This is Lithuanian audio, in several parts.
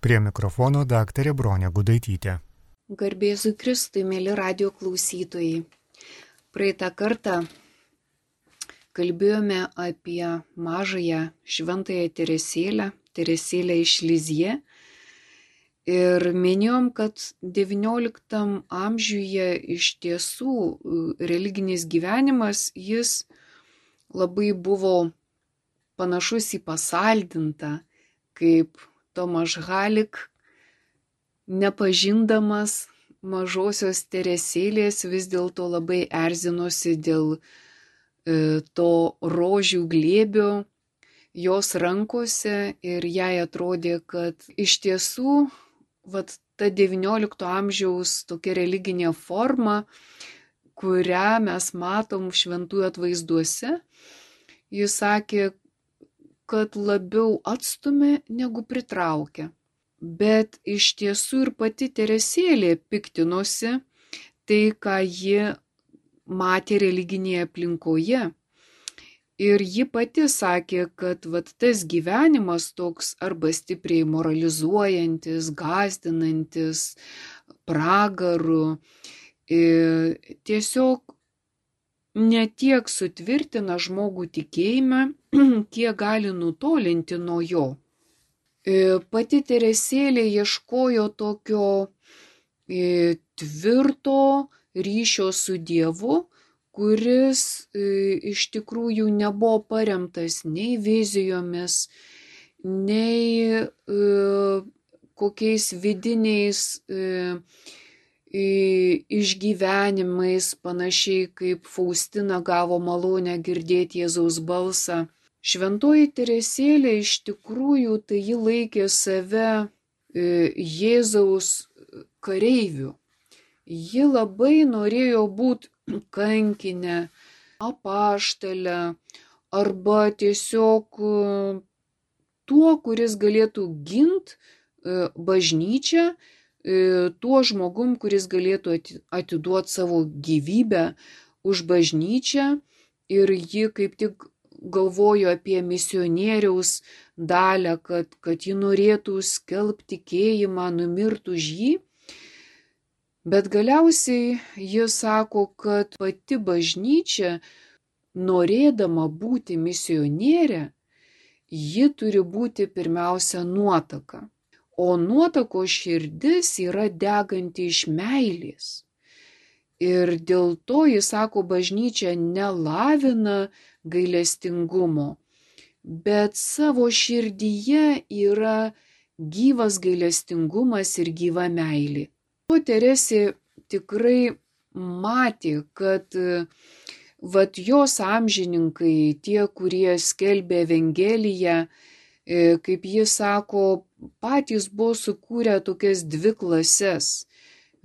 Prie mikrofono daktarė Bronė Gudaitytė. Garbėzui Kristui, mėly radio klausytojai. Praeitą kartą kalbėjome apie mažąją šventąją Teresėlę iš Lizie. Ir minėjom, kad XIX amžiuje iš tiesų religinis gyvenimas, jis labai buvo panašus į pasaldintą, kaip Tomaš Halik, nepažindamas mažosios Teresėlės, vis dėlto labai erzinosi dėl to rožių glėbio jos rankose ir jai atrodė, kad iš tiesų ta XIX amžiaus tokia religinė forma, kurią mes matom šventųjų atvaizduose, jis sakė, kad labiau atstumia negu pritraukia. Bet iš tiesų ir pati Teresėlė piktinosi tai, ką ji matė religinėje aplinkoje. Ir ji pati sakė, kad tas gyvenimas toks arba stipriai moralizuojantis, gąsdinantis, pragaru, tiesiog ne tiek sutvirtina žmogų tikėjime, kiek gali nutolinti nuo jo. Pati Teresėlė ieškojo tokio tvirto ryšio su Dievu, kuris iš tikrųjų nebuvo paremtas nei vizijomis, nei kokiais vidiniais išgyvenimais, panašiai kaip Faustina gavo malonę girdėti Jėzaus balsą. Šventoji Teresėlė iš tikrųjų tai ji laikė save Jėzaus kareiviu. Ji labai norėjo būti kankinę, apaštalę arba tiesiog tuo, kuris galėtų ginti bažnyčią, tuo žmogum, kuris galėtų atiduoti savo gyvybę už bažnyčią, ir ji kaip tik galvojo apie misionieriaus dalią, kad ji norėtų skelbti tikėjimą, numirtų už jį. Bet galiausiai ji sako, kad pati bažnyčia, norėdama būti misionierė, ji turi būti pirmiausia nuotaka. O nuotako širdis yra deganti iš meilės. Ir dėl to, jis sako, bažnyčia nelavina gailestingumo, bet savo širdyje yra gyvas gailestingumas ir gyva meilė. O Teresė tikrai matė, kad jos amžininkai, tie, kurie skelbė Evangeliją, kaip jis sako, patys buvo sukūrę tokias dvi klases.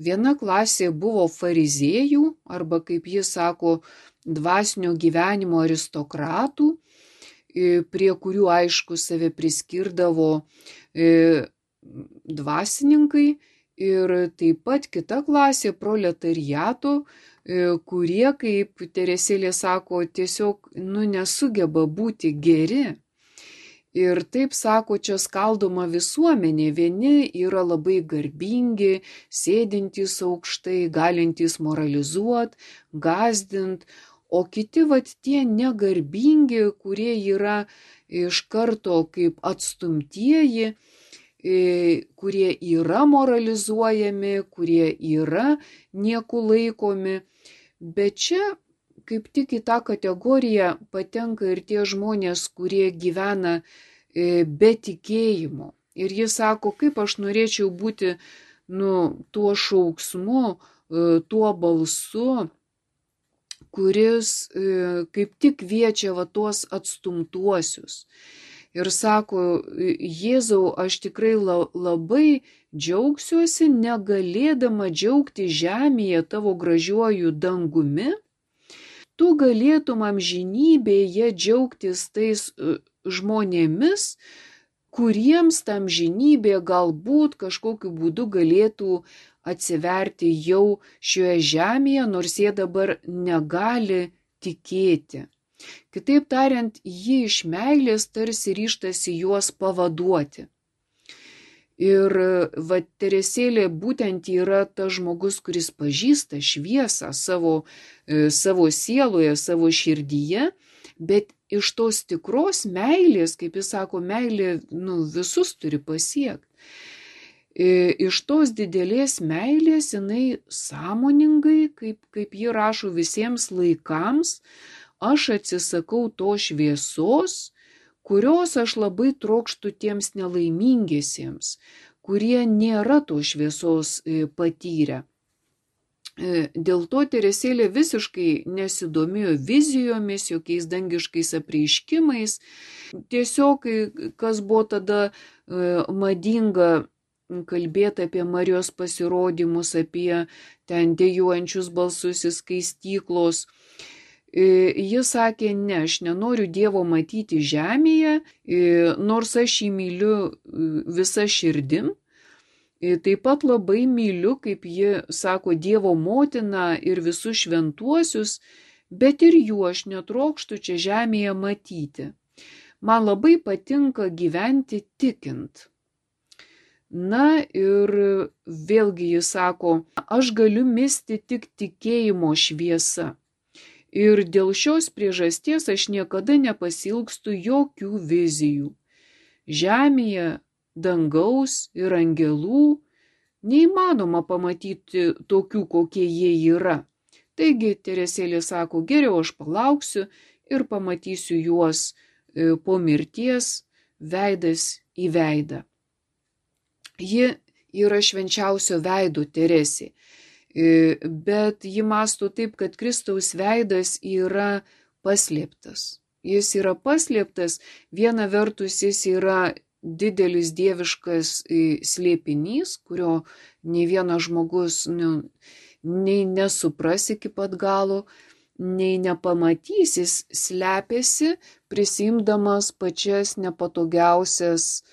Viena klasė buvo fariziejų, arba kaip jis sako, dvasinio gyvenimo aristokratų, prie kurių aišku save priskirdavo dvasininkai, ir taip pat kita klasė proletariato, kurie, kaip Teresėlė sako, tiesiog nesugeba būti geri. Ir taip sako, čia skaldoma visuomenė. Vieni yra labai garbingi, sėdintys aukštai, galintys moralizuoti, gąsdinti, o kiti tie negarbingi, kurie yra iš karto kaip atstumtieji, kurie yra moralizuojami, kurie yra niekų laikomi. Bet čia kaip tik į tą kategoriją patenka ir tie žmonės, kurie gyvena be tikėjimo. Ir jis sako, kaip aš norėčiau būti tuo šauksmu, tuo balsu, kuris kaip tik kviečia tuos atstumtuosius. Ir sako, Jėzau, aš tikrai labai džiaugsiuosi, negalėdama džiaugti žemėje tavo gražiuoju dangumi. Tu galėtum amžinybėje džiaugtis tais žmonėmis, kuriems tam amžinybė galbūt kažkokiu būdu galėtų atsiverti jau šioje žemėje, nors jie dabar negali tikėti. Kitaip tariant, ji iš meilės tarsi ryžtasi juos pavaduoti. Ir va Teresėlė būtent yra tas žmogus, kuris pažįsta šviesą savo sieloje, savo širdyje, bet iš tos tikros meilės, kaip jis sako, meilė visus turi pasiekti. Iš tos didelės meilės jinai sąmoningai, kaip ji rašo, visiems laikams, aš atsisakau to šviesos, kurios aš labai trokštu tiems nelaimingiesiems, kurie nėra to šviesos patyrę. Dėl to Teresėlė visiškai nesidomėjo vizijomis, jokiais dangiškais apreiškimais. Tiesiog, kas buvo tada madinga kalbėti apie Marijos pasirodymus, apie ten dejuojančius balsus iš skaistyklos. Jis sakė, ne, aš nenoriu Dievo matyti žemėje, nors aš jį myliu visa širdim. Taip pat labai myliu, kaip ji sako, Dievo motiną ir visus šventuosius, bet ir jų aš netrokštu čia žemėje matyti. Man labai patinka gyventi tikint. Na ir vėlgi jis sako, aš galiu misti tik tikėjimo šviesa. Ir dėl šios priežasties aš niekada nepasilgstu jokių vizijų. Žemėje, dangaus ir angelų neįmanoma pamatyti tokių, kokie jie yra. Taigi Teresėlė sako, geriau aš palauksiu ir pamatysiu juos po mirties veidas į veidą. Ji yra švenčiausio veido Teresė, bet ji mąsto taip, kad Kristaus veidas yra paslėptas. Jis yra paslėptas, viena vertus jis yra didelis dieviškas slėpinys, kurio nei vienas žmogus nei nesupras iki pat galo, nei nepamatys, jis slepiasi, prisimdamas pačias nepatogiausias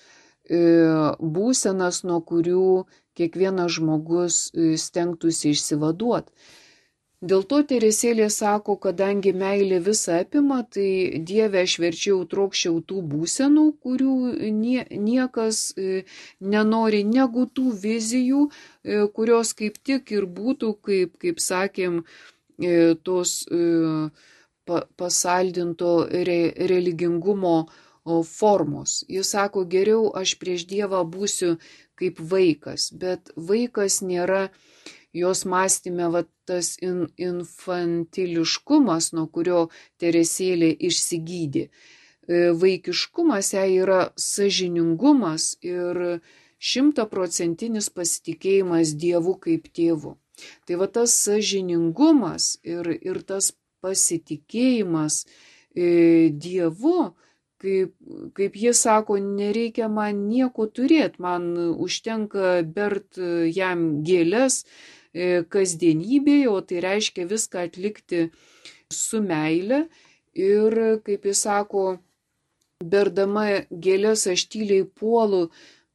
būsenas, nuo kurių kiekvienas žmogus stengtųsi išsivaduoti. Dėl to Teresėlė sako, kadangi meilė visą apima, tai Dieve aš verčiau trokščiau tų būsenų, kurių niekas nenori, negu tų vizijų, kurios kaip tik ir būtų, kaip sakėm, tos pasaldinto religingumo formos. Jis sako, geriau aš prieš Dievą būsiu kaip vaikas, bet vaikas nėra jos mąstyme tas infantiliškumas, nuo kurio Teresėlė išsigydė. Vaikiškumas jai yra sąžiningumas ir 100% pasitikėjimas Dievu kaip tėvu. Tai tas sąžiningumas ir tas pasitikėjimas Dievu, kaip jis sako, nereikia man nieko turėti, man užtenka bert jam gėles kasdienybėje, o tai reiškia viską atlikti su meile. Ir kaip jis sako, berdama gėles aš tyliai puolu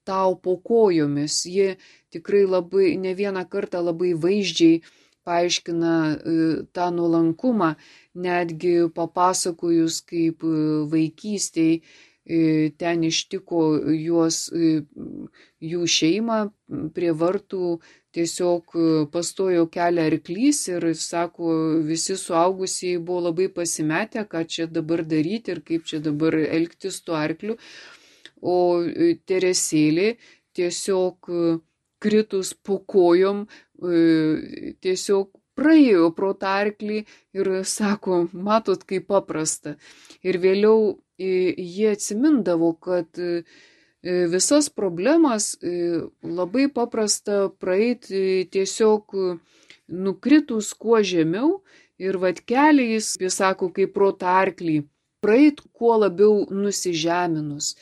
tau po kojomis. Ji tikrai labai ne vieną kartą labai vaizdžiai paaiškina tą nuolankumą, netgi papasakojus, kaip vaikystėj ten ištiko jų šeimą prie vartų, tiesiog pastojo kelią arklys ir, sako, visi suaugusieji buvo labai pasimetę, ką čia dabar daryti ir kaip čia dabar elgtis tuo arkliu. O Teresėlė tiesiog kritus po kojom tiesiog praėjo pro tą arklį ir sako, matot, kaip paprasta. Ir vėliau jie atsimindavo, kad visas problemas labai paprasta praeiti tiesiog nukritus kuo žemiau ir keliais, jis sako, kaip pro tą arklį, praeiti kuo labiau nusižeminus.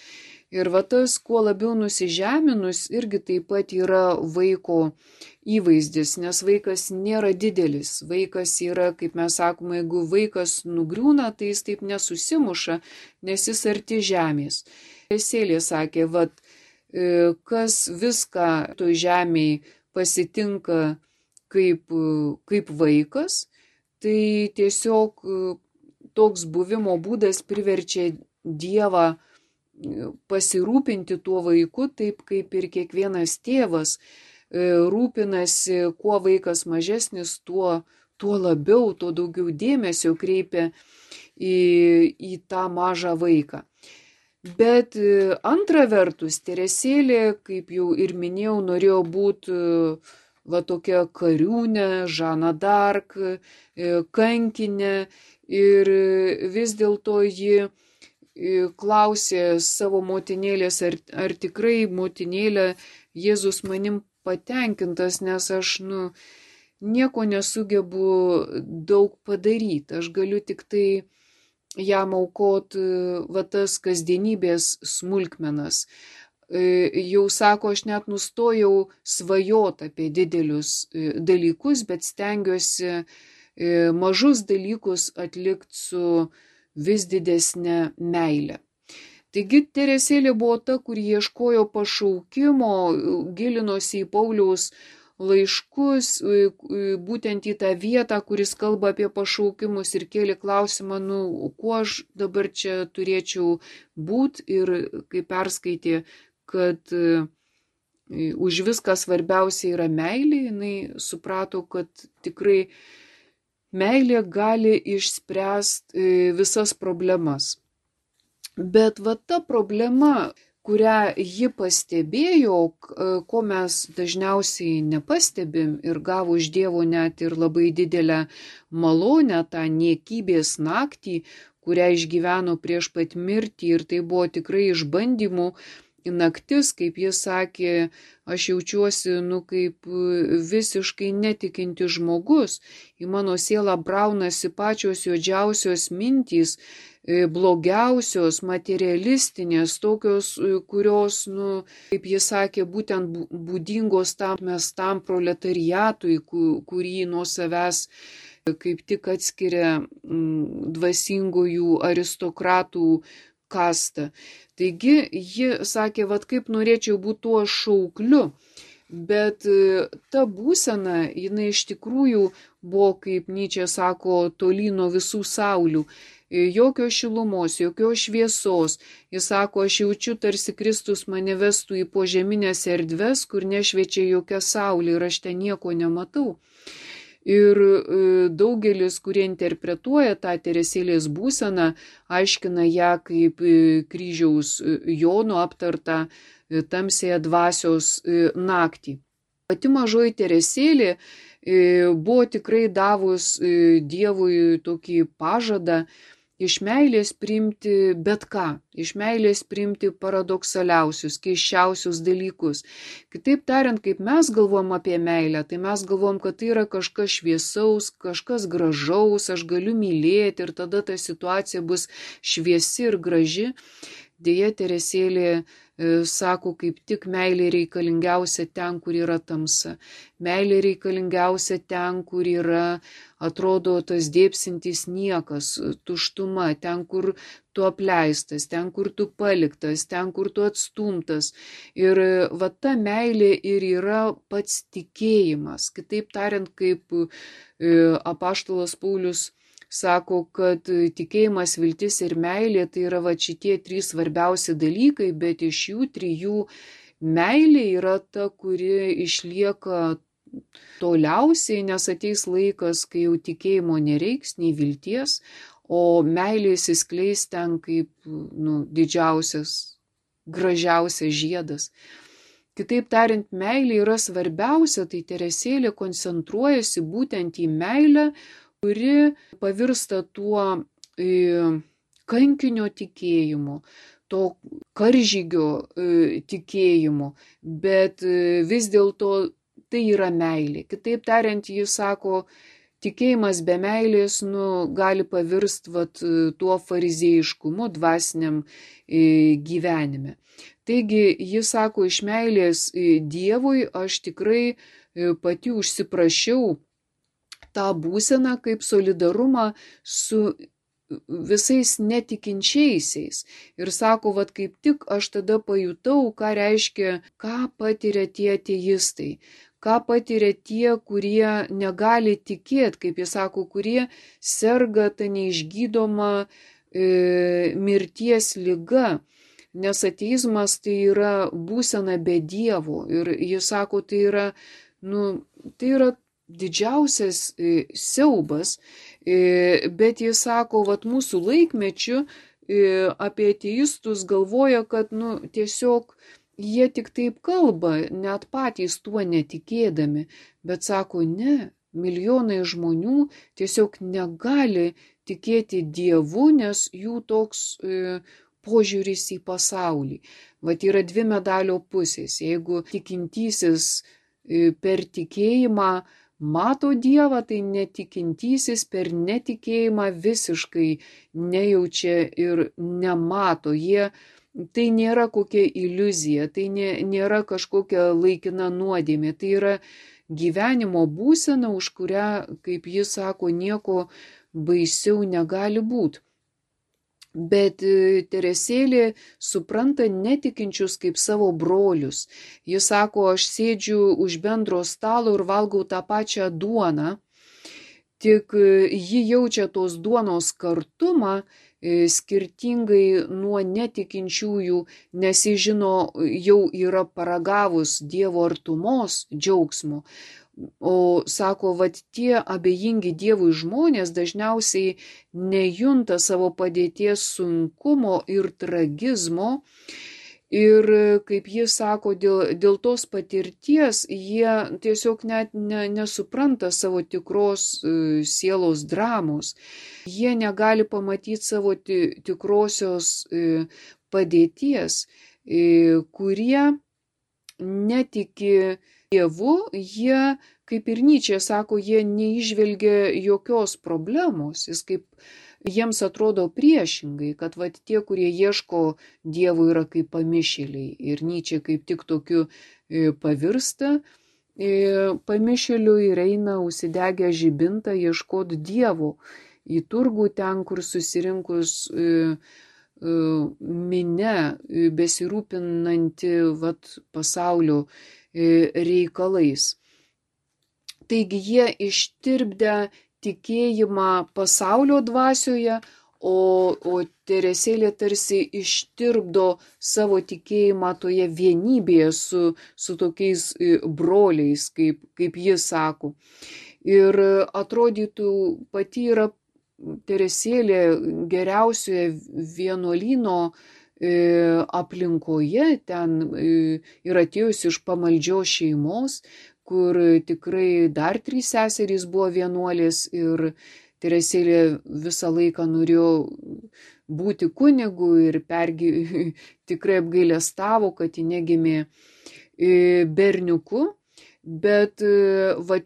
Ir tas kuo labiau nusižeminus irgi taip pat yra vaiko įvaizdis, nes vaikas nėra didelis. Vaikas yra, kaip mes sakome, jeigu vaikas nugriūna, tai jis taip nesusimuša, nes jis arti žemės. Teresėlė sakė, kas viską toj žemėj pasitinka kaip vaikas, tai tiesiog toks buvimo būdas priverčia Dievą pasirūpinti tuo vaiku taip, kaip ir kiekvienas tėvas rūpinasi, kuo vaikas mažesnis, tuo labiau, tuo daugiau dėmesio kreipia į tą mažą vaiką. Bet antra vertus, Teresėlė, kaip jau ir minėjau, norėjo būti tokia kariūnė, Žana d'Arc, kankinė, ir vis dėlto ji klausė savo motinėlės, ar tikrai motinėlė Jėzus manim patenkintas, nes aš nieko nesugebu daug padaryti, aš galiu tik tai jam aukot tas kasdienybės smulkmenas. Jau sako, aš net nustojau svajot apie didelius dalykus, bet stengiuosi mažus dalykus atlikti su vis didesnė meilė. Taigi Teresėlė buvo ta, kur ieškojo pašaukimo, gilinosi į Pauliaus laiškus, būtent į tą vietą, kuris kalba apie pašaukimus, ir kėlė klausimą, kuo aš dabar čia turėčiau būti, ir kai perskaitė, kad už viską svarbiausia yra meilė, jinai suprato, kad tikrai meilė gali išspręsti visas problemas. Bet ta problema, kurią ji pastebėjo, ko mes dažniausiai nepastebim, ir gavo iš Dievo net ir labai didelę malonę, tą niekybės naktį, kurią išgyveno prieš pat mirtį, ir tai buvo tikrai išbandymų naktis, kaip jis sakė, aš jaučiuosi kaip visiškai netikinti žmogus, į mano sielą braunasi pačios juodžiausios mintys, blogiausios, materialistinės, tokios, kurios, kaip jis sakė, būtent būdingos tam mestam proletariatui, kurį nuo savęs kaip tik atskiria dvasingųjų aristokratų kastą. Taigi ji sakė, kaip norėčiau būti tuo šaukliu, bet ta būsena, jinai iš tikrųjų buvo, kaip Nyčė sako, toli nuo visų saulių. Jokios šilumos, jokios šviesos. Jis sako, aš jaučiu, tarsi Kristus mane vestų į požeminės erdves, kur nešviečia jokia saulė, ir aš ten nieko nematau. Ir daugelis, kurie interpretuoja tą Teresėlės būseną, aiškina ją kaip kryžiaus Jono aptartą tamsėje dvasios naktį. Pati mažoji Teresėlė buvo tikrai davus Dievui tokį pažadą iš meilės priimti bet ką, iš meilės priimti paradoksaliausius, keisčiausius dalykus. Kitaip tariant, kaip mes galvom apie meilę, tai mes galvom, kad tai yra kažkas šviesaus, kažkas gražaus, aš galiu mylėti, ir tada ta situacija bus šviesi ir graži. Deja, Teresėlė sako, kaip tik meilė reikalingiausia ten, kur yra tamsa. Meilė reikalingiausia ten, kur yra, atrodo, tas dėpsintis niekas, tuštuma, ten, kur tu apleistas, ten, kur tu paliktas, ten, kur tu atstumtas. Ir ta meilė ir yra pats tikėjimas. Kitaip tariant, kaip apaštalas Paulius sako, kad tikėjimas, viltis ir meilė tai yra šitie trys svarbiausi dalykai, bet iš jų trijų meilė yra ta, kuri išlieka toliausiai, nes ateis laikas, kai jau tikėjimo nereiks, nei vilties, o meilė įsiskleis ten kaip didžiausias, gražiausias žiedas. Kitaip tariant, meilė yra svarbiausia, tai Teresėlė koncentruojasi būtent į meilę, kuri pavirsta tuo kankinio tikėjimu, to karžygio tikėjimu, bet vis dėlto tai yra meilė. Kitaip tariant, jis sako, tikėjimas be meilės gali pavirsti tuo farizėjiškumu dvasiniam gyvenime. Taigi, jis sako, iš meilės Dievui aš tikrai pati užsiprašiau tą būseną kaip solidarumą su visais netikinčiaisiais. Ir sako, kaip tik aš tada pajutau, ką reiškia, ką patiria tie ateistai, ką patiria tie, kurie negali tikėti, kaip jis sako, kurie serga tą neišgydomą mirties liga. nes ateizmas tai yra būsena be Dievo ir jis sako, tai yra didžiausias siaubas, bet jis sako, vat mūsų laikmečiu apie ateistus galvoja, kad tiesiog jie tik taip kalba, net patys tuo netikėdami, bet sako, ne, milijonai žmonių tiesiog negali tikėti Dievu, nes jų toks požiūris į pasaulį. Vat yra dvi medalio pusės. Jeigu tikintysis per tikėjimą mato Dievą, tai netikintysis per netikėjimą visiškai nejaučia ir nemato. Tai nėra kokia iliuzija, tai nėra kažkokia laikina nuodėmė, tai yra gyvenimo būsena, už kurią, kaip jis sako, nieko baisiau negali būti. Bet Teresėlė supranta netikinčius kaip savo brolius. Jis sako, aš sėdžiu už bendro stalo ir valgau tą pačią duoną, tik ji jaučia tos duonos kartumą, skirtingai nuo netikinčiųjų, nes jis žino, jau yra paragavus Dievo artumos džiaugsmo. O sako, vat tie abejingi Dievui žmonės dažniausiai nejunta savo padėties sunkumo ir tragizmo. Ir kaip jis sako, dėl tos patirties jie tiesiog net nesupranta savo tikros sielos dramos. Jie negali pamatyti savo tikrosios padėties, kurie netiki Dievu, jie, kaip ir Nyčė sako, jie neižvelgia jokios problemos. Jiems atrodo priešingai, kad tie, kurie ieško Dievo, yra kaip pamišėliai. Ir Nyčė kaip tik tokiu pavirsta pamišėliu ir eina užsidegę žibintą ieškoti Dievo į turgų, ten, kur susirinkus minia besirūpinanti pasaulio reikalais. Taigi jie ištirpdę tikėjimą pasaulio dvasioje, o Teresėlė tarsi ištirpdo savo tikėjimą toje vienybėje su tokiais broliais, kaip jis sako. Ir atrodytų pati yra Teresėlė geriausioje vienuolyno aplinkoje, ten yra atėjusi iš pamaldžios šeimos, kur tikrai dar 3 seserys buvo vienuolės ir Teresėlė visą laiką norėjo būti kunigu ir tikrai apgailestavo, kad ji negimė berniuku, bet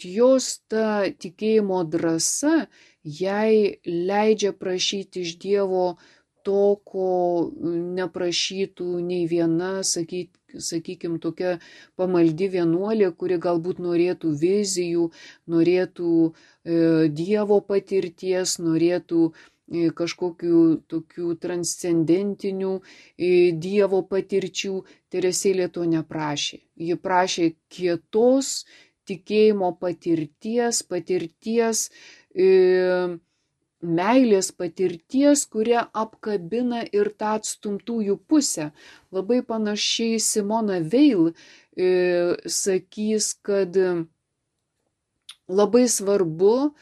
jos ta tikėjimo drąsa jai leidžia prašyti iš Dievo to, ko neprašytų nei viena, sakykime, tokia pamaldi vienuolė, kuri galbūt norėtų vizijų, norėtų Dievo patirties, norėtų kažkokių tokių transcendentinių Dievo patirčių. Teresėlė to neprašė. Ji prašė kietos tikėjimo patirties, meilės patirties, kuria apkabina ir tą atstumtųjų pusę. Labai panašiai Simona Veil sakys, kad labai svarbu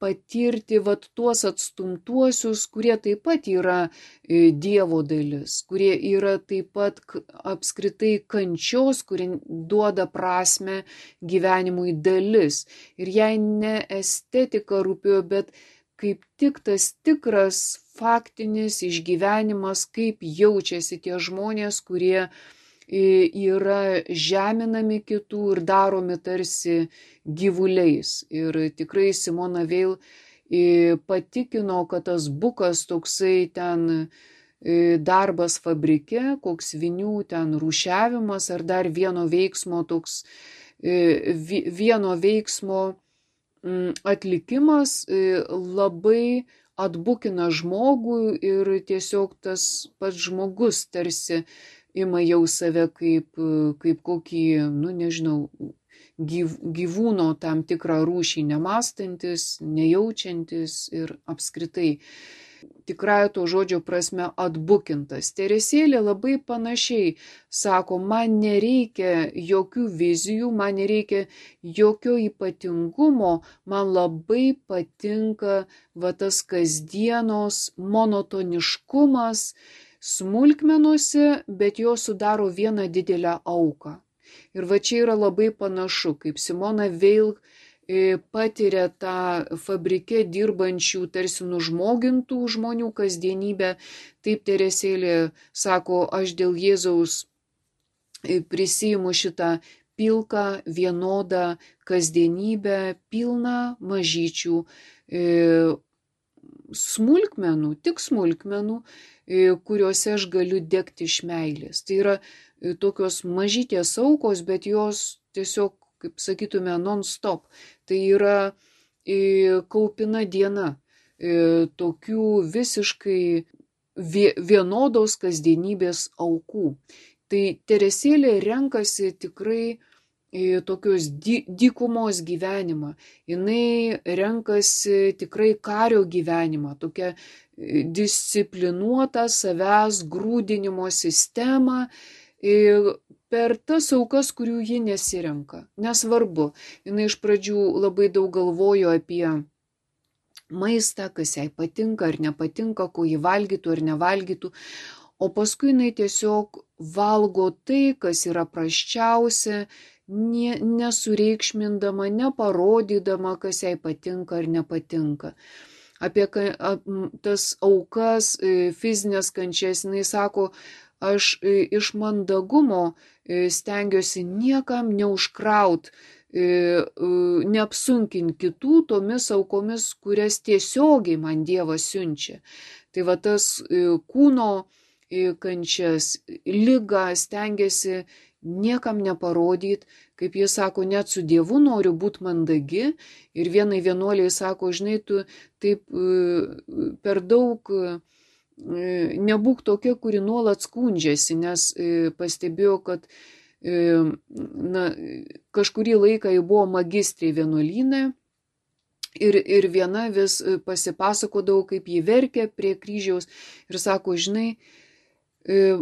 patirti tuos atstumtuosius, kurie taip pat yra Dievo dalis, kurie yra taip pat apskritai kančios, kurie duoda prasme gyvenimui dalis. Ir jai ne estetika rūpėjo, bet kaip tik tas tikras faktinis išgyvenimas, kaip jaučiasi tie žmonės, kurie yra žeminami kitų ir daromi tarsi gyvuliais. Ir tikrai Simona Veil patikino, kad tas bukas toksai ten darbas fabrike, koks vinių ten rūšiavimas ar dar vieno veiksmo atlikimas labai atbukina žmogų ir tiesiog tas pats žmogus tarsi ima jau save kaip kokį, nežinau, gyvūno tam tikrą rūšį nemąstantis, nejaučiantis ir apskritai tikrąja to žodžio prasme atbukintas. Teresėlė labai panašiai sako, man nereikia jokių vizijų, man nereikia jokio ypatingumo, man labai patinka tas kasdienos monotoniškumas smulkmenuose, bet jo sudaro vieną didelę auką. Ir va čia yra labai panašu, kaip Simona Veil patiria tą fabrike dirbančių, tarsi nužmogintų žmonių kasdienybę. Taip Teresėlė sako, aš dėl Jėzaus prisiimu šitą pilką, vienodą kasdienybę, pilną mažyčių smulkmenų, tik smulkmenų, kuriuose aš galiu degti iš meilės. Tai yra tokios mažytės aukos, bet jos tiesiog, kaip sakytume, non-stop. Tai yra kaupina diena tokių visiškai vienodos kasdienybės aukų. Tai Teresėlė renkasi tikrai tokios dykumos gyvenimą. Jinai renkasi tikrai kario gyvenimą, tokią disciplinuotą savęs grūdinimo sistemą per tas aukas, kurių ji nesirenka. Nesvarbu, jinai iš pradžių labai daug galvojo apie maistą, kas jai patinka ar nepatinka, ko jį valgytų ar nevalgytų, o paskui jinai tiesiog valgo tai, kas yra prasčiausia, nesureikšmindama, neparodydama, kas jai patinka ar nepatinka. Apie tas aukas, fizinės kančias, jinai sako, aš iš mandagumo stengiuosi niekam neužkraut, neapsunkint kitų tomis aukomis, kurias tiesiogiai man Dievas siunčia. Tai va tas kūno kančias, ligą stengiasi niekam neparodyt, kaip jis sako, net su Dievu noriu būti mandagi. Ir vienai vienuoliai sako, žinai, tu taip per daug nebūk tokia, kuri nuolat skundžiasi, nes pastebėjau, kad kažkurį laiką jau buvo magistrė vienuolyne ir viena vis pasipasakodavo, kaip ji verkė prie kryžiaus ir sako, žinai,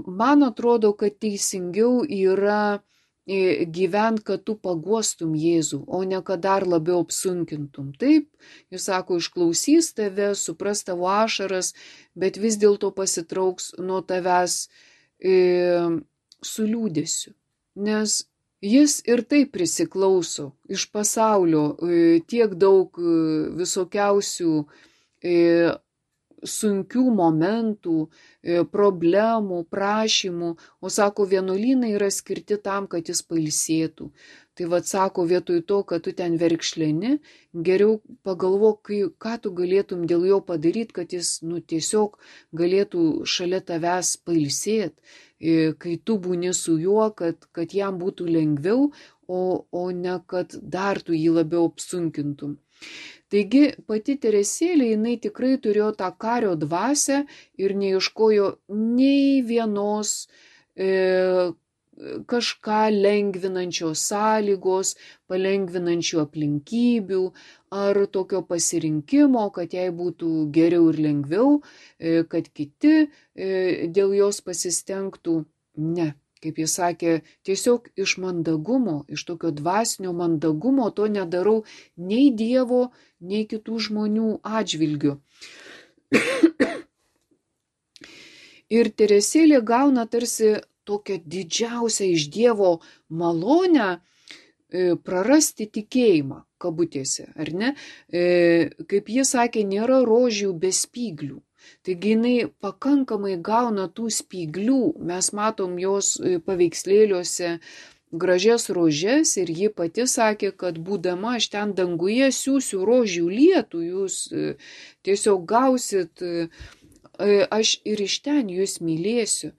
man atrodo, kad teisingiau yra gyvent, kad tu paguostum Jėzų, o ne kad dar labiau apsunkintum. Taip, jis sako, išklausys tave, supras tavo ašaras, bet vis dėlto pasitrauks nuo tavęs su liūdėsiu. Nes jis ir taip prisiklauso iš pasaulio tiek daug visokiausių sunkių momentų, problemų, prašymų, o sako, vienuolynai yra skirti tam, kad jis pailsėtų. Tai vad sako, vietoj to, kad tu ten verkšleni, geriau pagalvok, ką tu galėtum dėl jo padaryti, kad jis tiesiog galėtų šalia tavęs pailsėti, kai tu būni su juo, kad jam būtų lengviau, o ne kad dar tu jį labiau apsunkintum. Taigi pati Teresėlė, jinai tikrai turėjo tą kario dvasią ir neieškojo nei vienos kažką lengvinančios sąlygos, palengvinančių aplinkybių ar tokio pasirinkimo, kad jai būtų geriau ir lengviau, kad kiti dėl jos pasistengtų. Ne. Kaip jis sakė, tiesiog iš mandagumo, iš tokio dvasinio mandagumo to nedarau nei Dievo, nei kitų žmonių atžvilgių. Ir Teresėlė gauna tarsi tokią didžiausią iš Dievo malonę prarasti tikėjimą, kabutėse, ar ne? Kaip jis sakė, nėra rožių be spyglių. Taigi jinai pakankamai gauna tų spyglių, mes matom jos paveikslėliuose gražias rožes ir ji pati sakė, kad būdama aš ten danguje siūsiu rožių lietų, jūs tiesiog gausit, aš ir iš ten jūs mylėsiu.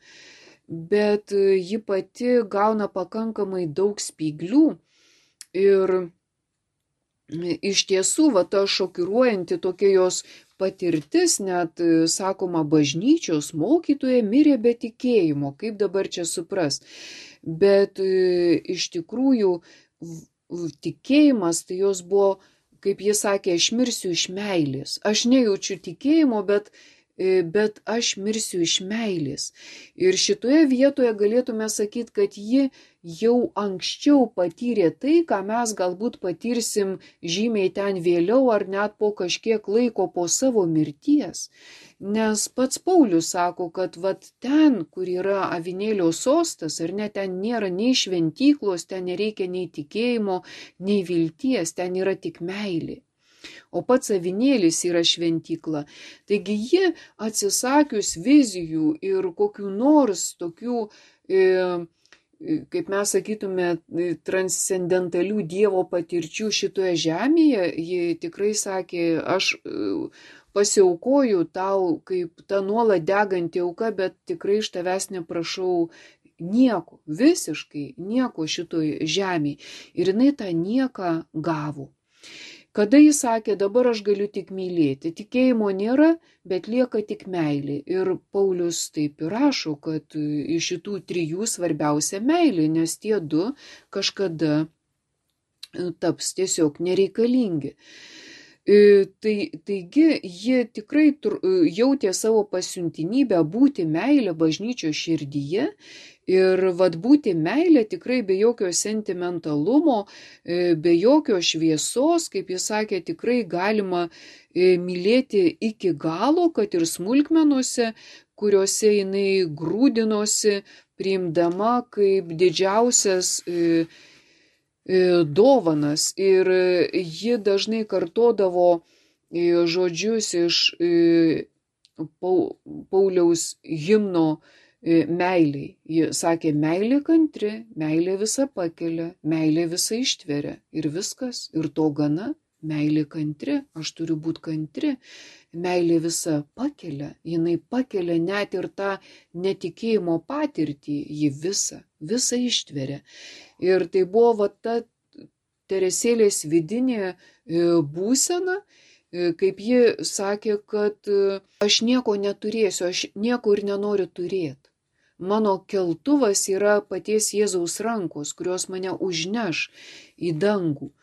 Bet ji pati gauna pakankamai daug spyglių ir iš tiesų, va ta šokiruojanti tokia jos patirtis, net sakoma, bažnyčios mokytoja mirė be tikėjimo, kaip dabar čia supras. Bet iš tikrųjų tikėjimas, tai jos buvo, kaip jis sakė, aš mirsiu iš meilės. Aš nejaučiu tikėjimo, bet aš mirsiu iš meilės. Ir šitoje vietoje galėtume sakyti, kad ji jau anksčiau patyrė tai, ką mes galbūt patirsim žymiai ten vėliau ar net po kažkiek laiko po savo mirties. Nes pats Paulius sako, kad vat ten, kur yra avinėlio sostas, ar ne, ten nėra nei šventyklos, ten nereikia nei tikėjimo, nei vilties, ten yra tik meilė. O pats avinėlis yra šventykla. Taigi ji atsisakius vizijų ir kokių nors tokių, kaip mes sakytume, transcendentalių Dievo patirčių šitoje žemėje, ji tikrai sakė, aš pasiaukoju tau kaip ta nuolat deganti auka, bet tikrai iš tavęs neprašau nieko, visiškai nieko šitoj žemėje. Ir jinai tą nieką gavo. Kada jis sakė, dabar aš galiu tik mylėti, tikėjimo nėra, bet lieka tik meilė. Ir Paulius taip ir rašo, kad iš šitų trijų svarbiausia meilė, nes tie du kažkada taps tiesiog nereikalingi. Taigi ji tikrai jautė savo pasiuntinybę būti meilę bažnyčios širdyje. Ir vad būti meilė tikrai be jokio sentimentalumo, be jokio šviesos, kaip jis sakė, tikrai galima mylėti iki galo, kad ir smulkmenuose, kuriuose jinai grūdinosi, priimdama kaip didžiausias dovanas. Ir ji dažnai kartodavo žodžius iš Pauliaus himno meiliai. Ji sakė, meilė kantri, meilė visa pakelia, meilė visa ištveria. Ir viskas, ir to gana, meilė kantri, aš turiu būti kantri. Meilė visa pakelia, jinai pakelia net ir tą netikėjimo patirtį, ji visą ištveria. Ir tai buvo va ta Teresėlės vidinė būsena, kaip ji sakė, kad aš nieko neturėsiu, aš nieko ir nenoriu turėti. Mano keltuvas yra paties Jėzaus rankos, kurios mane užneš į dangų.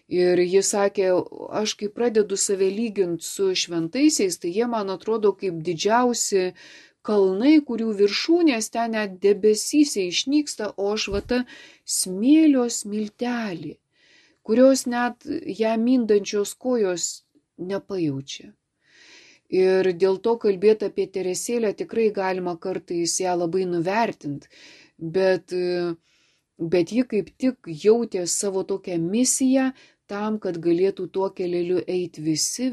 Ir jis sakė, aš kai pradedu save lyginti su šventaisiais, tai jie man atrodo kaip didžiausi kalnai, kurių viršūnės ten net debesyse išnyksta, o aš va ta smėlio smiltelė, kurios net ją mindančios kojos nepajaučia. Ir dėl to kalbėti apie Teresėlę tikrai galima kartais ją labai nuvertinti, bet ji kaip tik jautė savo tokią misiją tam, kad galėtų tuo keleliu eiti visi,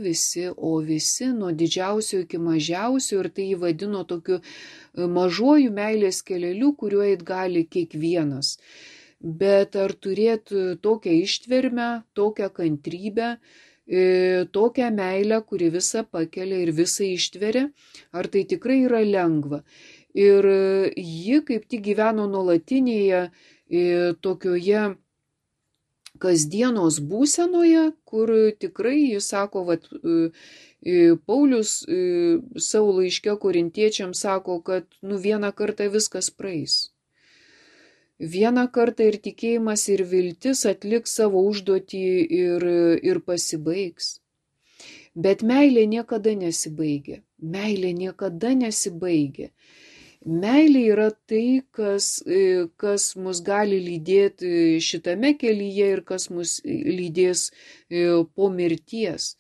o visi nuo didžiausio iki mažiausio, ir tai jį vadino tokiu mažuoju meilės keleliu, kuriuo eit gali kiekvienas. Bet ar turėti tokią ištvermę, tokią kantrybę, tokią meilę, kuri visą pakelia ir visą ištveria, ar tai tikrai yra lengva. Ir ji kaip tik gyveno nuolatinėje tokioje kasdienos būsenoje, kur tikrai, jis sako, vat, Paulius savo laiške korintiečiams sako, kad vieną kartą viskas praeis. Vieną kartą ir tikėjimas, ir viltis atliks savo užduotį ir pasibaigs. Bet meilė niekada nesibaigia. Meilė niekada nesibaigia. Meilė yra tai, kas mus gali lydėti šitame kelyje ir kas mus lydės po mirties.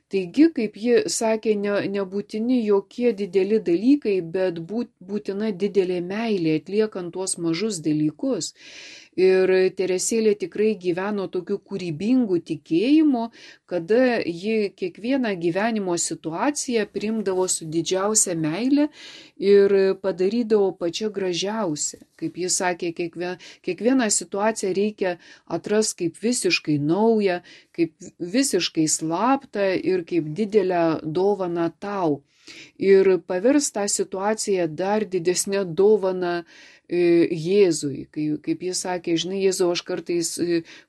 Taigi, kaip ji sakė, nebūtini jokie dideli dalykai, bet būtina didelė meilė atliekant tuos mažus dalykus. Ir Teresėlė tikrai gyveno tokiu kūrybingu tikėjimu, kada ji kiekvieną gyvenimo situaciją priimdavo su didžiausia meile ir padarydavo pačią gražiausią. Kaip jis sakė, kiekvieną situaciją reikia atrasti kaip visiškai naują, kaip visiškai slaptą ir kaip didelę dovaną tau. Ir pavirs tą situaciją dar didesnę dovaną Jėzui, kaip jis sakė, žinai, Jėzau, aš kartais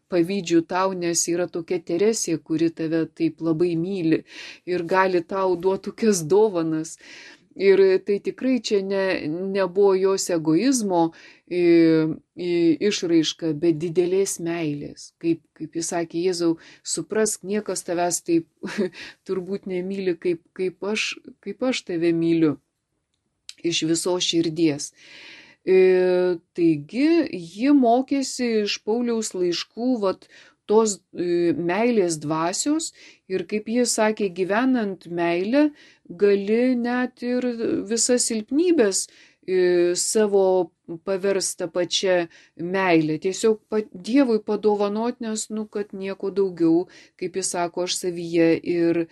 pavydžiu tau, nes yra tokia Teresė, kuri tave taip labai myli ir gali tau duoti tokias dovanas. Ir tai tikrai čia nebuvo jos egoizmo išraiška, bet didelės meilės. Kaip jis sakė, Jėzau, suprask, niekas tavęs taip turbūt nemyli, kaip aš tave myliu iš visos širdies. Taigi, ji mokėsi iš Pauliaus laiškų tos meilės dvasios ir, kaip jis sakė, gyvenant meilę, gali net ir visas silpnybės savo paversta pačia meilė. Tiesiog Dievui padovanot, nes, kad nieko daugiau, kaip jis sako, aš savyje ir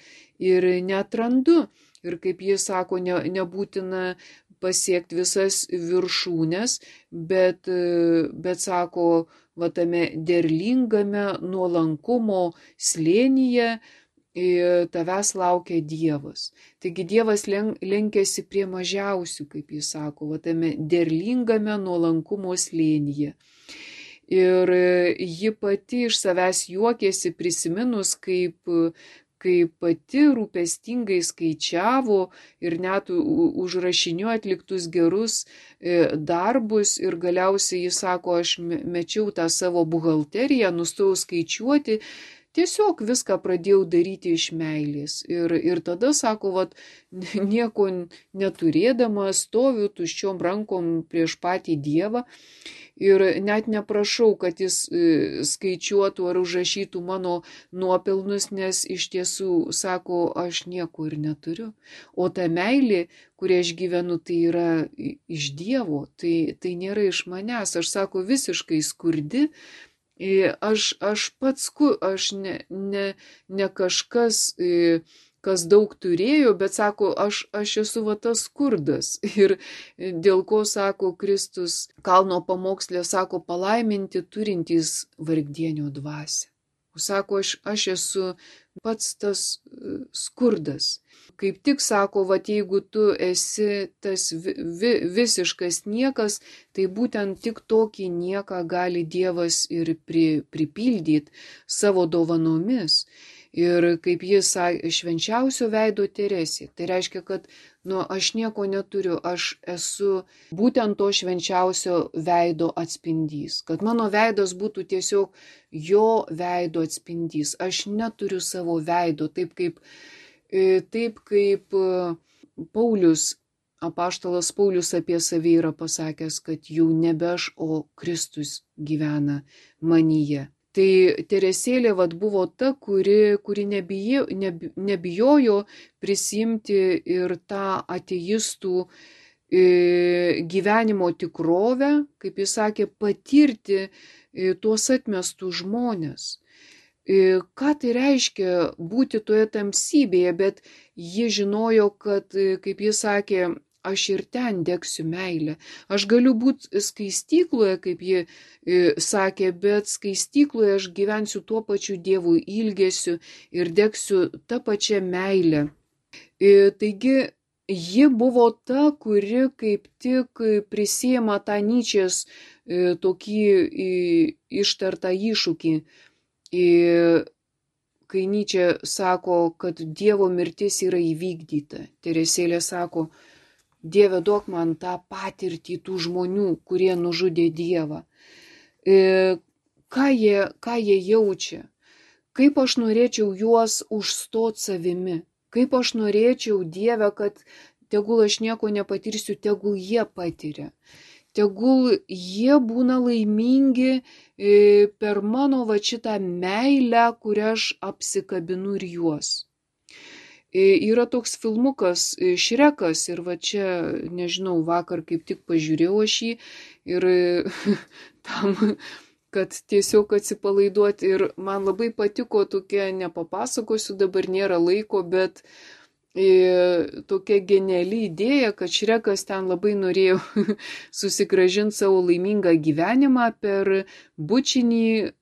netrandu. Ir kaip jis sako, nebūtina pasiekti visas viršūnes, bet sako, tame derlingame nuolankumo slėnyje tavęs laukia Dievas. Taigi Dievas lenkiasi prie mažiausių, kaip jis sako, tame derlingame nuolankumo slėnyje. Ir ji pati iš savęs juokėsi prisiminus, kaip pati rūpestingai skaičiavo ir net užrašinio atliktus gerus darbus ir galiausiai jis sako, aš mečiau tą savo buhalteriją, nustojau skaičiuoti, tiesiog viską pradėjau daryti iš meilės. Ir tada, sako, nieko neturėdama stoviu tuščiom rankom prieš patį Dievą ir net neprašau, kad jis skaičiuotų ar užrašytų mano nuopelnus, nes iš tiesų, sako, aš nieko ir neturiu. O ta meilė, kurią aš gyvenu, tai yra iš Dievo, tai nėra iš manęs. Aš, sako, visiškai skurdi. Aš pats, aš ne kažkas, kas daug turėjo, bet sako, aš esu tas skurdas. Ir dėl ko, sako, Kristus kalno pamokslė, sako, palaiminti turintys vargdienio dvasią. Sako, aš esu pats tas skurdas. Kaip tik sako, jeigu tu esi tas visiškas niekas, tai būtent tik tokį nieką gali Dievas ir pripildyti savo dovanomis. Ir kaip jis sakė, švenčiausio veido Teresė. Tai reiškia, kad aš nieko neturiu, aš esu būtent to švenčiausio veido atspindys. Kad mano veidas būtų tiesiog jo veido atspindys. Aš neturiu savo veido, taip kaip Paulius, apaštalas Paulius apie save yra pasakęs, kad jau nebe aš, o Kristus gyvena manyje. Tai Teresėlė buvo ta, kuri nebijojo prisimti ir tą ateistų gyvenimo tikrovę, kaip jis sakė, patirti tuos atmestus žmonės. Ką tai reiškia būti toje tamsybėje, bet ji žinojo, kad, kaip jis sakė, aš ir ten degsiu meilę. Aš galiu būti skaistykloje, kaip ji sakė, bet skaistykloje aš gyvensiu tuo pačiu Dievų ilgesiu ir degsiu tą pačią meilę. Taigi, ji buvo ta, kuri kaip tik prisiima tą Nyčės tokį ištartą iššūkį. Kai Nyčė sako, kad Dievo mirtis yra įvykdyta. Teresėlė sako, Dieve, duok man tą patirtį tų žmonių, kurie nužudė Dievą. Ką jie jaučia? Kaip aš norėčiau juos užstot savimi? Kaip aš norėčiau, Dieve, kad tegul aš nieko nepatirsiu, tegul jie patiria. Tegul jie būna laimingi per mano šitą meilę, kurią aš apsikabinu ir juos. Yra toks filmukas Šrekas ir čia, nežinau, vakar kaip tik pažiūrėjau aš jį ir tam, kad tiesiog atsipalaiduoti ir man labai patiko tokia, nepapasakosiu, dabar nėra laiko, bet tokia geniali idėja, kad Šrekas ten labai norėjo susigrąžinti savo laimingą gyvenimą per bučinį,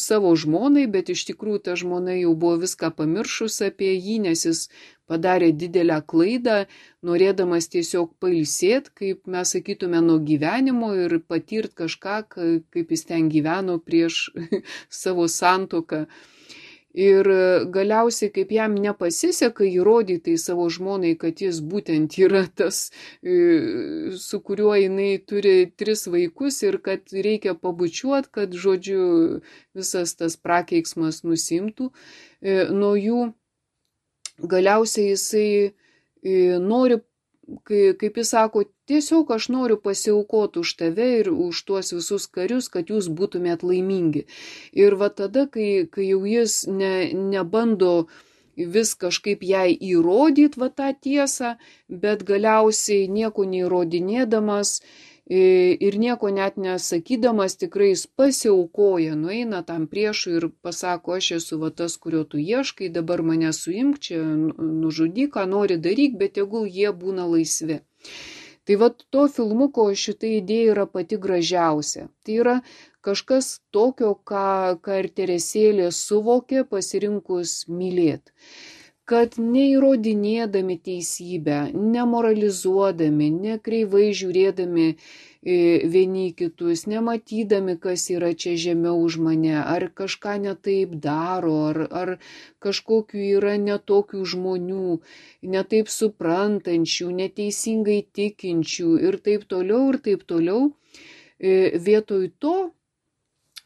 savo žmonai, bet iš tikrųjų ta žmona jau buvo viską pamiršus apie jį, nes jis padarė didelę klaidą, norėdamas tiesiog pailsėti, kaip mes sakytume, nuo gyvenimo ir patirt kažką, kaip jis ten gyveno prieš savo santuoką. Ir galiausiai, kaip jam nepasiseka įrodyti savo žmonai, kad jis būtent yra tas, su kuriuo jinai turi 3 vaikus ir kad reikia pabučiuoti, kad, žodžiu, visas tas prakeiksmas nusimtų nuo jų. Galiausiai jisai nori, kaip jis sako, tiesiog aš noriu pasiaukoti už tave ir už tuos visus karius, kad jūs būtumėt laimingi. Ir va tada, kai jau jis nebando vis kažkaip jai įrodyti va tą tiesą, bet galiausiai nieko neįrodinėdamas ir nieko net nesakydamas, tikrai jis pasiaukoja, nueina tam priešui ir pasako, aš esu va tas, kurio tu ieškai, dabar mane suimk, čia nužudyk, ką nori daryk, bet tegul jie būna laisvi. Tai va to filmuko šita idėja yra pati gražiausia. Tai yra kažkas tokio, ką ir Teresėlė suvokė pasirinkus mylėti. Kad neįrodinėdami teisybę, nemoralizuodami, nekreivai žiūrėdami vieni kitus, nematydami, kas yra čia žemiau už mane, ar kažką netaip daro, ar kažkokių yra netokių žmonių, netaip suprantančių, neteisingai tikinčių ir taip toliau, vietoj to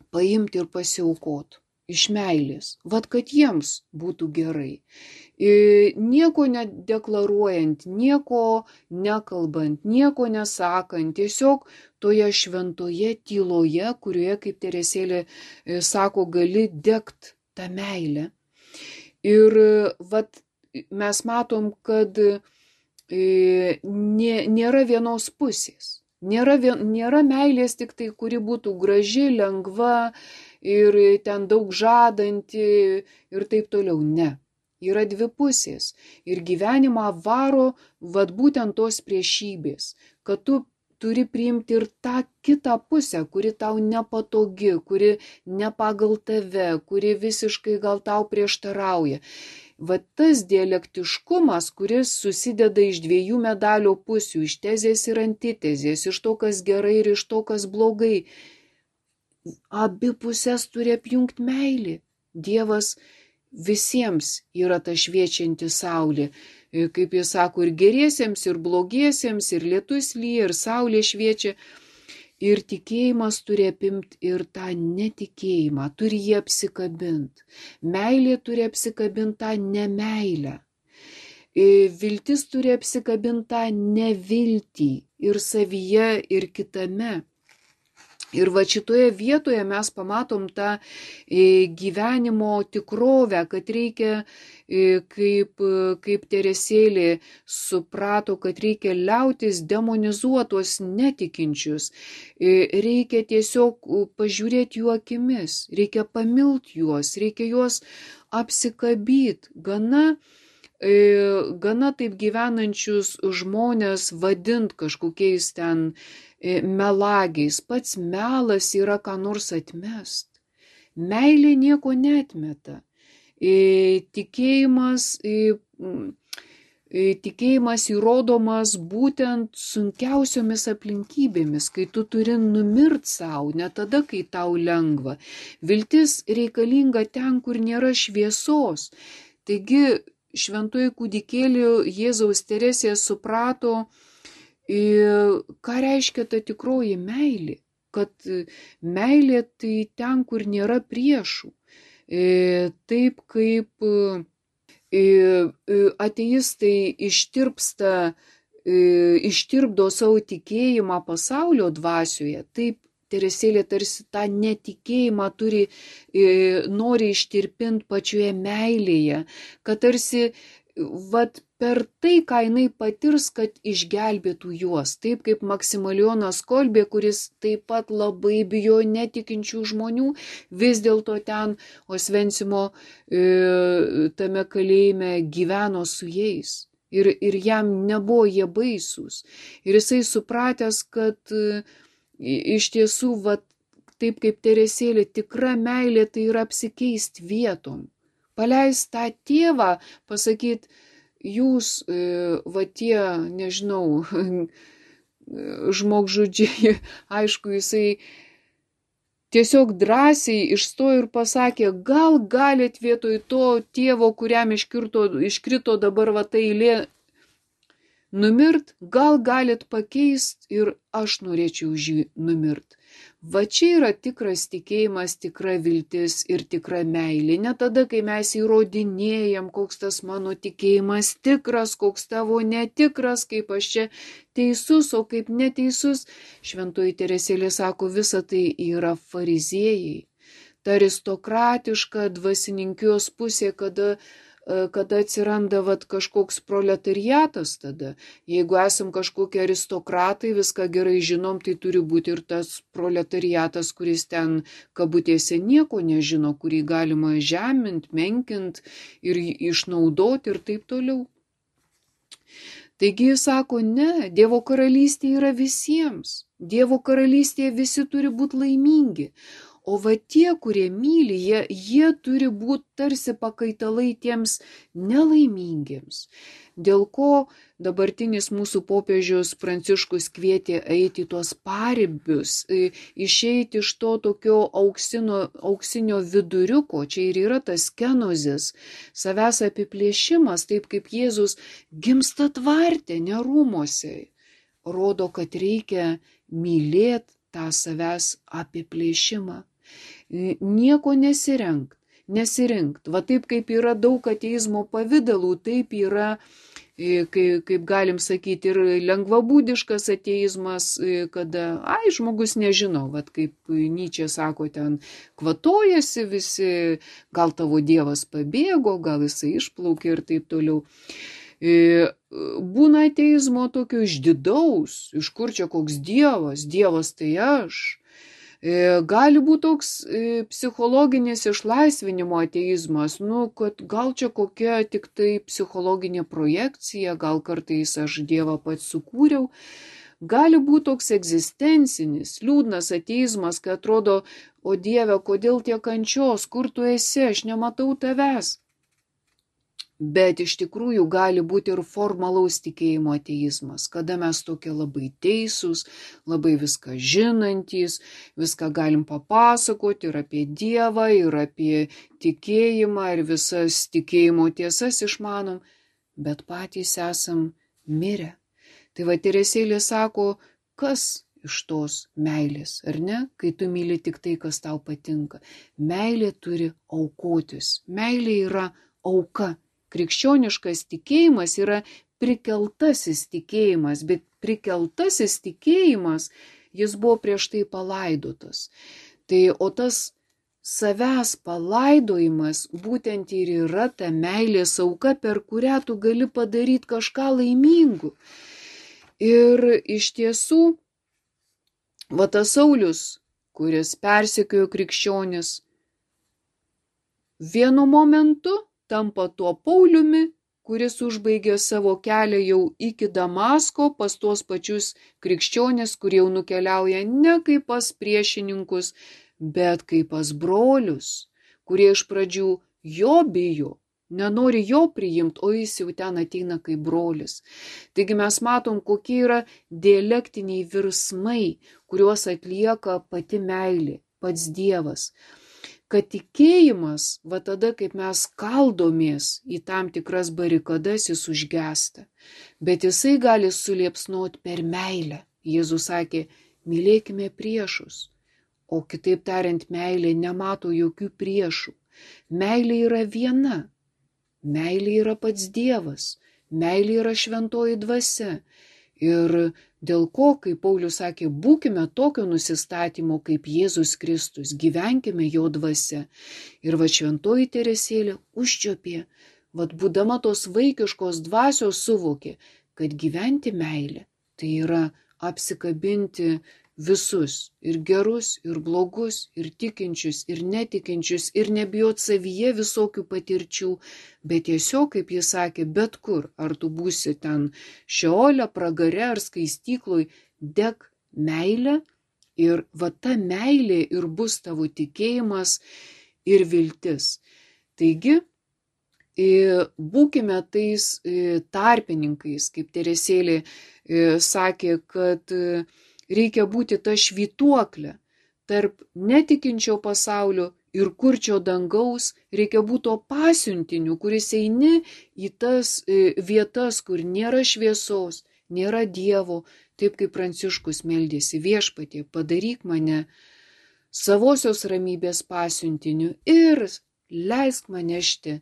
paimti ir pasiaukoti. Iš meilės, vat kad jiems būtų gerai. Nieko nedeklaruojant, nieko nekalbant, nieko nesakant, tiesiog toje šventoje tyloje, kurioje, kaip Teresėlė sako, gali degt tą meilę. Ir vat mes matom, kad nėra vienos pusės. Nėra meilės tik tai, kuri būtų graži, lengva, ir ten daug žadanti ir taip toliau. Ne. Yra 2 pusės. Ir gyvenimą varo vat būtent tos priešybės, kad tu turi priimti ir tą kitą pusę, kuri tau nepatogi, kuri ne pagal tave, kuri visiškai gal tau prieštarauja. Vat tas dialektiškumas, kuris susideda iš 2 medalio pusių, iš tezės ir antitezės, iš to, kas gerai ir iš to, kas blogai. Abi pusės turi apjungti meilį. Dievas visiems yra ta šviečianti saulė. Kaip jis sako, ir geriesiems, ir blogiesiems, ir lietus lyja, ir saulė šviečia. Ir tikėjimas turi apimti ir tą netikėjimą, turi jį apsikabinti. Meilė turi apsikabinti tą nemeilę. Viltis turi apsikabinti tą neviltį ir savyje, ir kitame. Ir va šitoje vietoje mes pamatom tą gyvenimo tikrovę, kad reikia, kaip Teresėlė suprato, kad reikia liautis demonizuotos netikinčius. Reikia tiesiog pažiūrėti jų akimis, reikia pamilti juos, reikia juos apsikabyti. Gana taip gyvenančius žmonės vadint kažkokiais ten melagiais. Pats melas yra ką nors atmest. Meilė nieko neatmeta. Tikėjimas įrodomas būtent sunkiausiomis aplinkybėmis, kai tu turi numirt savo, ne tada, kai tau lengva. Viltis reikalinga ten, kur nėra šviesos. Taigi, šventoji kūdikėlį Jėzaus Teresė suprato, ką reiškia ta tikroji meilė, kad meilė tai ten, kur nėra priešų. Taip kaip ateistai ištirpdo savo tikėjimą pasaulio dvasioje, taip Teresėlė tarsi tą netikėjimą nori ištirpinti pačioje meilėje, kad tarsi per tai, ką jinai patirs, kad išgelbėtų juos. Taip kaip Maksimilijonas Kolbė, kuris taip pat labai bijo netikinčių žmonių, vis dėlto ten Osvencimo tame kalėjime gyveno su jais. Ir jam nebuvo jie baisūs. Ir jisai supratęs, kad iš tiesų, taip kaip Teresėlė, tikra meilė tai yra apsikeisti vietom. Paleist tą tėvą, pasakyti, jūs, va tie, nežinau, žmogžudžiai, aišku, jisai tiesiog drąsiai išstojo ir pasakė, gal galit vietoj to tėvo, kuriam iškrito dabar va ta eilė numirt, gal galit pakeist ir aš norėčiau už jį numirt. Va čia yra tikras tikėjimas, tikra viltis ir tikra meilė. Ne tada, kai mes įrodinėjam, koks tas mano tikėjimas tikras, koks tavo netikras, kaip aš čia teisus, o kaip neteisus. Šventoji Teresėlė sako, visa tai yra fariziejai. Ta aristokratiška dvasininkijos pusė, kada atsiranda kažkoks proletariatas tada. Jeigu esam kažkokie aristokratai, viską gerai žinom, tai turi būti ir tas proletariatas, kuris ten kabutėse nieko nežino, kurį galima žemint, menkint ir išnaudoti ir taip toliau. Taigi jis sako, ne, Dievo karalystė yra visiems. Dievo karalystėje visi turi būti laimingi. O va tie, kurie myli, jie turi būti tarsi pakaitalai tiems nelaimingiems. Dėl ko dabartinis mūsų popiežius Pranciškus kvietė eiti tuos paribius, išeiti iš to tokio auksinio viduriuko, čia ir yra tas kenozis, savęs apiplėšimas, taip kaip Jėzus gimsta tvarte, ne rūmose, rodo, kad reikia mylėti tą savęs apiplėšimą. Nieko nesirinkt. Va taip kaip yra daug ateizmo pavydalų, taip yra, kaip galim sakyti, ir lengvabūdiškas ateizmas, kada, žmogus nežino, va kaip Nyčė sako, ten kvatojasi visi, gal tavo dievas pabėgo, gal jisai išplaukė ir taip toliau. Būna ateizmo tokio išdidaus, iš kur čia koks dievas tai aš. Gali būti toks psichologinis išlaisvinimo ateizmas, kad gal čia kokia tik tai psichologinė projekcija, gal kartais aš Dievą pats sukūriau. Gali būti toks egzistencinis, liūdnas ateizmas, kai atrodo, o Dieve, kodėl tiek kančios, kur tu esi, aš nematau tavęs. Bet iš tikrųjų gali būti ir formalaus tikėjimo ateizmas, kada mes tokie labai teisūs, labai viską žinantys, viską galim papasakoti ir apie Dievą, ir apie tikėjimą, ir visas tikėjimo tiesas išmanom, bet patys esam mirę. Tai va Teresėlė sako, kas iš tos meilės, ar ne, kai tu myli tik tai, kas tau patinka. Meilė turi aukotis, meilė yra auka. Krikščioniškas tikėjimas yra prikeltasis tikėjimas, bet prikeltasis tikėjimas, jis buvo prieš tai palaidotas. O tas savęs palaidojimas būtent ir yra ta meilės auka, per kurią tu gali padaryti kažką laimingų. Ir iš tiesų, va tas Saulius, kuris persekiojo krikščionis, vienu momentu tampa tuo Pauliumi, kuris užbaigė savo kelią jau iki Damasko pas tuos pačius krikščionis, kurie jau nukeliauja ne kaip pas priešininkus, bet kaip pas brolius, kurie iš pradžių jo bijo, nenori jo priimti, o jis jau ten ateina kaip brolis. Taigi mes matom, kokie yra dialektiniai virsmai, kuriuos atlieka pati meilė, pats Dievas. Kad tikėjimas, va tada, kaip mes kaldomės į tam tikras barikadas, jis užgesta. Bet jisai gali suliepsnoti per meilę. Jėzus sakė, mylėkime priešus. O kitaip tariant, meilė nemato jokių priešų. Meilė yra viena. Meilė yra pats Dievas. Meilė yra šventoji dvasia. Ir dėl ko, kaip Paulius sakė, būkime tokio nusistatymo kaip Jėzus Kristus, gyvenkime jo dvasia. Ir va šventoji Teresėlė užčiopė, va būdama tos vaikiškos dvasios suvokė, kad gyventi meilę tai yra apsikabinti visus, ir gerus, ir blogus, ir tikinčius, ir netikinčius, ir nebijot savyje visokių patirčių, bet tiesiog, kaip jis sakė, bet kur, ar tu būsi ten šeole, pragare ar skaistykloj, dek meilę, ir va ta meilė ir bus tavo tikėjimas ir viltis. Taigi, Būkime tais tarpininkais, kaip Teresėlė sakė, kad reikia būti ta švytuoklė tarp netikinčio pasaulio ir kurčio dangaus, reikia būti to pasiuntiniu, kuris eini į tas vietas, kur nėra šviesos, nėra Dievo, taip kaip Pranciškus meldėsi: Viešpatie, padaryk mane savosios ramybės pasiuntiniu ir leisk man nešti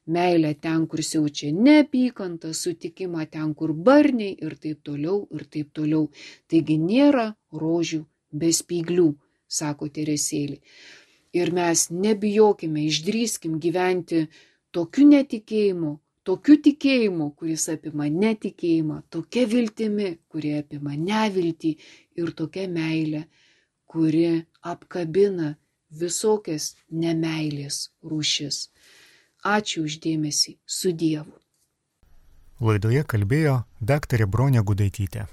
meilę ten, kur siaučia neapykanta, sutikimą ten, kur barniai ir taip toliau, ir taip toliau. Taigi nėra rožių be spyglių, sako Teresėlė. Ir mes nebijokime, išdrįskim gyventi tokiu netikėjimu, tokiu tikėjimu, kuris apima netikėjimą, tokia viltimi, kuri apima neviltį, ir tokia meilė, kuri apkabina visokias nemeilės rūšis. Ačiū už dėmesį, su Dievu. Laidoje kalbėjo daktarė Bronė Gudaitytė.